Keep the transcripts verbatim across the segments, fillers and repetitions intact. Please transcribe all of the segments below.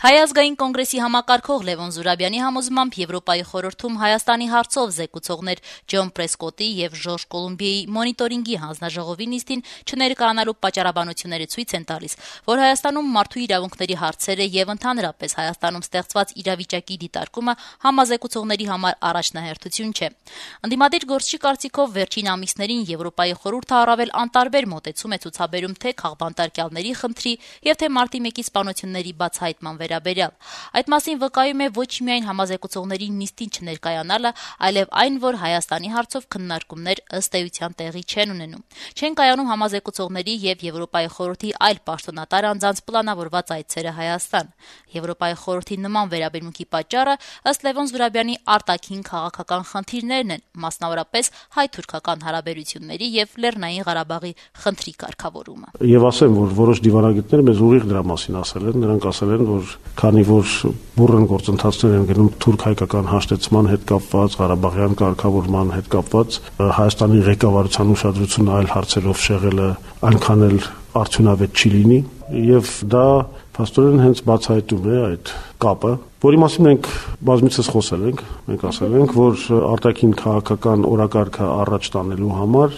Հայ ազգային կոնգրեսի համակարգող Լևոն Զուրաբյանի համոզմամբ Եվրոպայի խորհրդում Հայաստանի հարցով զեկուցողներ Ջոն Պրեսկոտի եւ Ժորժ Կոլումբիայի մոնիտորինգի հանձնաժողովի նիստին չներկայանալու պատճառաբանությունները ցույց են տալիս, որ Հայաստանում մարդու իրավունքների հարցերը եւ ընդհանրապես Հայաստանում ստեղծված իրավիճակի դիտարկումը համազեկուցողների համար առաջնահերթություն չէ։ Ընդդիմադիր գործչի կարծիքով վերջին ամիսներին Եվրոպայի խորհուրդը առավել անտարբեր մոտեցում է ցուցաբերում թե քաղբանտարկյալների խնդրի եւ թե մարտի մեկի սպանությունների բացահայտման վերաբերյալ։ Այդ մասին վկայում է ոչ միայն համազեկուցողների նիստին չներկայանալը, այլև այն, որ Հայաստանի հարցով քննարկումներ ըստ էության տեղի չեն ունենում։ Չեն կայանում համազեկուցողների եւ Եվրոպայի խորհրդի այլ պաշտոնատար անձանց պլանավորված այցերը Հայաստան։ Եվրոպայի խորհրդի նման վերաբերմունքի պատճառը ըստ Լևոն Զուրաբյանի արտաքին քաղաքական խնդիրներն են, մասնավորապես հայ-թուրքական հարաբերությունների եւ Լեռնային Ղարաբաղի խնդրի կարգավորումը։ Եվ ասեմ, որ որոշ դիվանագետներ մեզ ուղիղ դրա մասին ասել են, նրանք ասել են, որ քանի որ բուռն գործընթացներ են գնում թուրք-հայկական հաշտեցման հետ կապված, Ղարաբաղյան կարգավորման հետ կապված, Հայաստանի ղեկավարության ուշադրությունը այլ հարցերով շեղելը այնքան էլ արդյունավետ չի լինի, եւ դա փաստորեն հենց բացահայտում է այդ կապը, որի մասին մենք բազմիցս խոսել ենք, մենք ասել ենք, որ արտաքին քաղաքական օրակարգը առաջ տանելու համար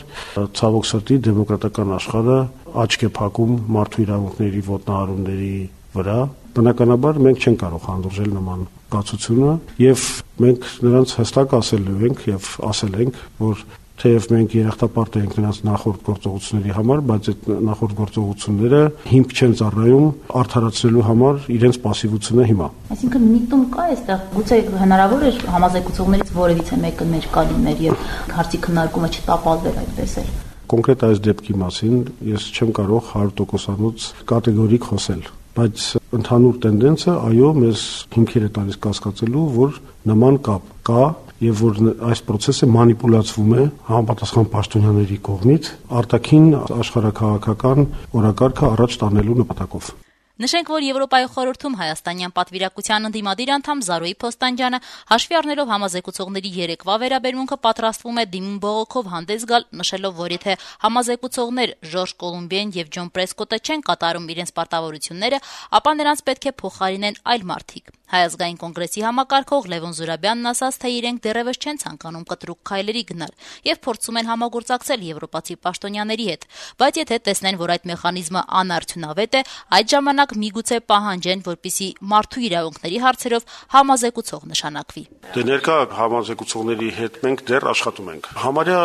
ցավոք սրտի դեմոկրատական աշխարհը աչք է փակում մարդու իրավունքների ոտնահարումների վրա, բնականաբար մենք չենք կարող հանդուրժել նման կացությունը եւ մենք նրանց հստակ ասելու ենք եւ ասել ենք, որ թեև մենք երախտապարտ ենք նրանց նախորդ գործողությունների համար, բայց այդ նախորդ գործողությունները հիմք չեն ծառայում արդարացնելու համար իրենց պասիվությունը հիմա։ Այսինքն միտում կա այստեղ, գուցե հնարավոր է համազեկուցողներից որևիցե մեկը ներկա լիներ եւ հարցի քննարկումը չտապալվեր այդպես էլ։ Կոնկրետ այս դեպքի մասին ես չեմ կարող հարյուր տոկոսանոց կատեգորիկ խոսել, բայց ընդհանուր տենդենսը այո մեզ հիմքեր է տալիս կասկածելու, որ նման կապ կա եւ որ այս process-ը մանիպուլացվում է համապատասխան պաշտոնյաների կողմից արտաքին աշխարհակաղակական օրակարգը առաջ տանելու նպատակով։ Նշենք, որ Եվրոպայի խորհրդում հայաստանյան պատվիրակության ընդդիմադիր անդամ Զարուհի Փոստանջյանը հաշվի առնելով համազեկուցողների երեկվա վերաբերմունքը պատրաստվում է դիմում բողոքով հանդես գալ, նշելով, որ եթե համազեկուցողներ Ժորժ Կոլումբիան եւ Ջոն Պրեսկոտը չեն կատարում իրենց պարտավորությունները, ապա նրանց պետք է փոխարինեն այլ մարդիկ։ Հայ ազգային կոնգրեսի համակարգող Լևոն Զուրաբյանն ասաց, թե իրենք դեռևս չեն ցանկանում կտրուկ քայլերի գնալ եւ փորձում են համագործակցել եվրոպացի պաշտոնյաների հետ, բայց եթե տեսնեն, որ այդ մեխանիզմը անարդյունավետ է, այդ ժամանակ միգուցե պահանջեն, որպիսի մարդու իրավունքների հարցերով համազեկուցող նշանակվի։ Դե ներկա համազեկուցողների հետ մենք դեռ աշխատում ենք։ Համարյա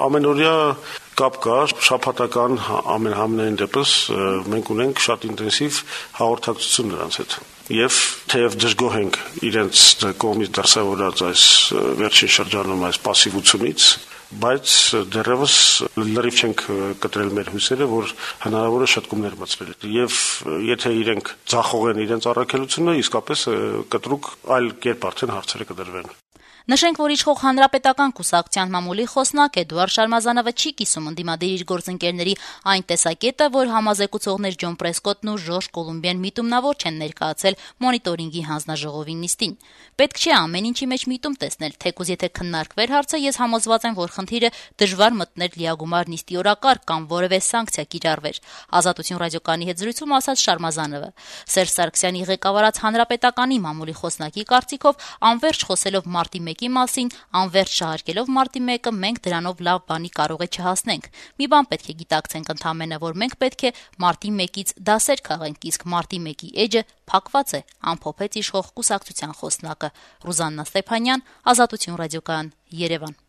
ամենօրյա կապ կա, շաբաթական ամենահամենայն դեպս մենք ունենք շատ ինտենսիվ հաղորդակցություն նրանց հետ։ Եվ թեև դժգոհ ենք իրենց կողմից դրսևորած այս վերջին շրջանում այս պասիվությունից, բայց դեռևս լրիվ չենք կտրել մեր հույսերը, որ հնարավոր է շտկումներ մտցնել։ Եվ եթե իրենք ձախողեն իրենց առաքելությունը, իսկապես կտրուկ այլ կերպ արդեն հարցերը կդրվեն։ Նշենք, որ իշխող հանրապետական կուսակցության մամուլի խոսնակ Էդուարդ Շարմազանովը չի կիսում ընդդիմադիր իր գործընկերների այն տեսակետը, որ համազեկուցողներ Ջոն Պրեսկոտն ու Ժորժ Կոլումբիան միտումնավոր չեն ներկայացել մոնիտորինգի հանձնաժողովի նիստին։ Պետք չէ ամեն ինչի մեջ միտում տեսնել, թեկուզ եթե քննարկվեր հարցը, ես համոզված եմ, որ խնդիրը դժվար մտներ լիագումար նիստի օրակարգ կամ որևէ սանկցիա կիրառվեր։ Ազատություն ռադիոկայանի հետ զրույցում ասաց Շարմազանովը։ Սերժ Սարգսյանի ղեկավարած հանրապետականի մամուլի խոսնակի կարծիքով անվերջ խոսելով մարտի մեկի մասին, անվերջ շահարկելով մարտի մեկը, մենք դրանով լավ բանի կարող է չհասնենք։ Մի բան պետք է գիտակցենք ընդհանրապես, որ մենք պետք է մարտի մեկից դասեր քաղենք, իսկ մարտի մեկի էջը փակված է, ամփոփեց իշխող կուսակցության խոսնակը։ Ռուզաննա Ստեփանյան, Ազատություն ռադիոկայան, Երևան։